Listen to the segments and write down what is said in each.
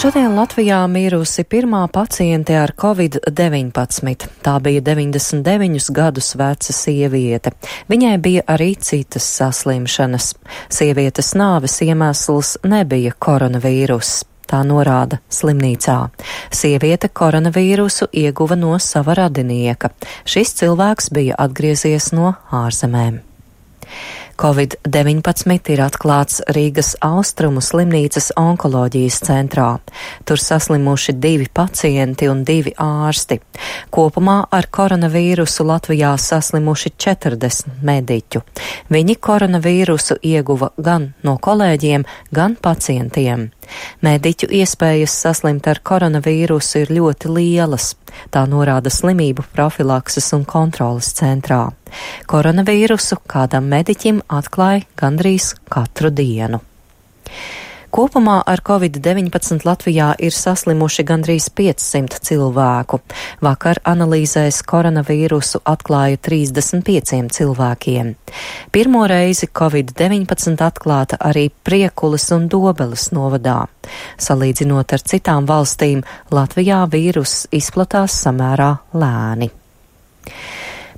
Šodien Latvijā mirusi pirmā paciente ar Covid-19. Tā bija 99 gadus veca sieviete. Viņai bija arī citas saslimšanas. Sievietes nāves iemesls nebija koronavīruss. Tā norāda slimnīcā. Sieviete koronavīrusu ieguva no sava radinieka. Šis cilvēks bija atgriezies no ārzemēm. Covid-19 ir atklāts Rīgas Austrumu slimnīcas onkoloģijas centrā. Tur saslimuši 2 pacienti un 2 ārsti. Kopumā ar koronavīrusu Latvijā saslimuši 40 mediķu. Viņi koronavīrusu ieguva gan no kolēģiem, gan pacientiem. Mediķu iespējas saslimt ar koronavīrusu ir ļoti lielas. Tā norāda slimību profilakses un kontroles centrā. Koronavīrusu kādam mediķim atklāja gandrīz katru dienu. Kopumā ar Covid-19 Latvijā ir saslimuši gandrīz 500 cilvēku. Vakar analīzēs koronavīrusu atklāja 35 cilvēkiem. Pirmo reizi Covid-19 atklāta arī Priekulas un Dobeles novadā. Salīdzinot ar citām valstīm, Latvijā vīruss izplatās samērā lēni.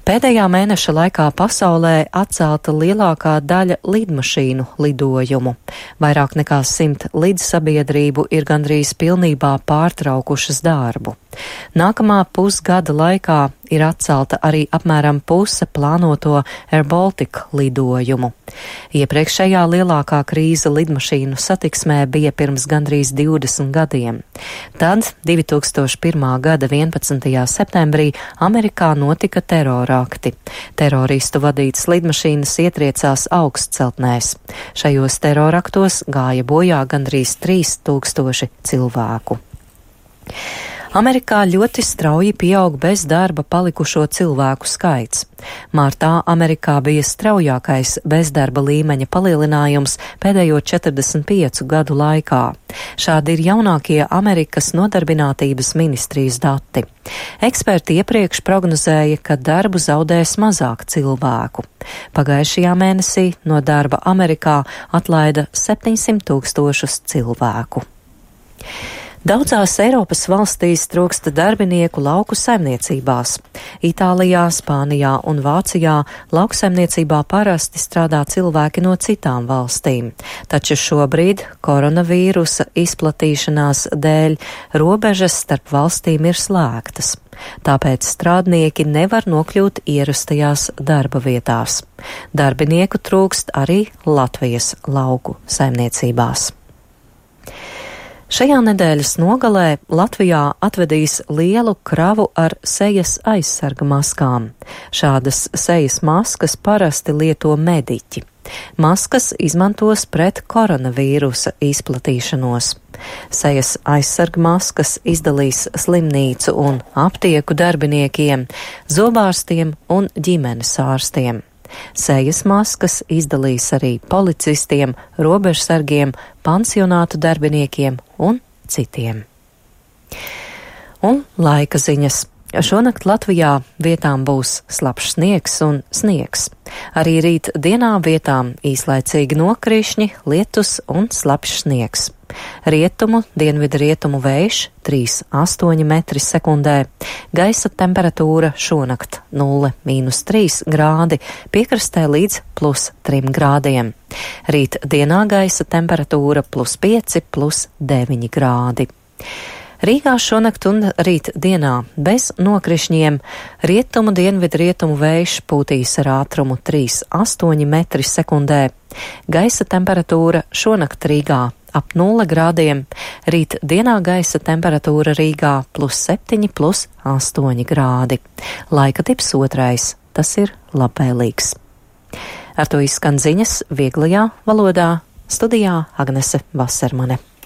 Pēdējā mēneša laikā pasaulē atcelta lielākā daļa lidmašīnu lidojumu. Vairāk nekā 100 lidsabiedrību ir gandrīz pilnībā pārtraukušas darbu. Nākamā pusgada laikā ir atcelta arī apmēram puse plānoto Air Baltica lidojumu. Iepriekšējā lielākā krīze lidmašīnu satiksmē bija pirms gandrīz 20 gadiem. Tad 2001. gada 11. septembrī Amerikā notika terorakti. Teroristu vadītas lidmašīnas ietriecās augstceltnēs. Šajos teroraktos gāja bojā gandrīz 3000 cilvēku. Amerikā ļoti strauji pieaug bez darba palikušo cilvēku skaits. Martā Amerikā bija straujākais bezdarba līmeņa palielinājums pēdējo 45 gadu laikā. Šādi ir jaunākie Amerikas nodarbinātības ministrijas dati. Eksperti iepriekš prognozēja, ka darbu zaudēs mazāk cilvēku. Pagājušajā mēnesī no darba Amerikā atlaida 700 000 cilvēku. Daudzās Eiropas valstīs trūksta darbinieku lauku saimniecībās. Itālijā, Spānijā un Vācijā lauksaimniecībā parasti strādā cilvēki no citām valstīm, taču šobrīd koronavīrusa izplatīšanās dēļ robežas starp valstīm ir slēgtas. Tāpēc strādnieki nevar nokļūt ierastajās darba vietās. Darbinieku trūkst arī Latvijas lauku saimniecībās. Šajā nedēļas nogalē Latvijā atvedīs lielu kravu ar sejas aizsarga maskām. Šādas sejas maskas parasti lieto mediķi. Maskas izmantos pret koronavīrusa izplatīšanos. Sejas aizsarga maskas izdalīs slimnīcu un aptieku darbiniekiem, zobārstiem un ģimenes ārstiem. Sejas maskas izdalīs arī policistiem, robežsargiem, pansionātu darbiniekiem un citiem. Un laika ziņas. Šonakt Latvijā vietām būs slapjš sniegs un sniegs. Arī rīt dienā vietām īslaicīgi nokrišņi, lietus un slapjš sniegs. Rietumu, dienvidu rietumu vējš 3,8 metri sekundē. Gaisa temperatūra šonakt 0–3 grādi, piekrastē līdz +3 grādiem. Rīt dienā gaisa temperatūra +5–9 grādi. Rīgā šonakt un rīt dienā bez nokrišņiem rietumu, dienvidu rietumu vējš pūtīs ar ātrumu 3,8 metri sekundē. Gaisa temperatūra šonakt Rīgā ap 0 grādiem, rīt dienā gaisa temperatūra Rīgā +7–8 grādi. Laika tips 2, tas ir labvēlīgs. Ar to izskan ziņas vieglajā valodā, studijā Agnese Vasermane.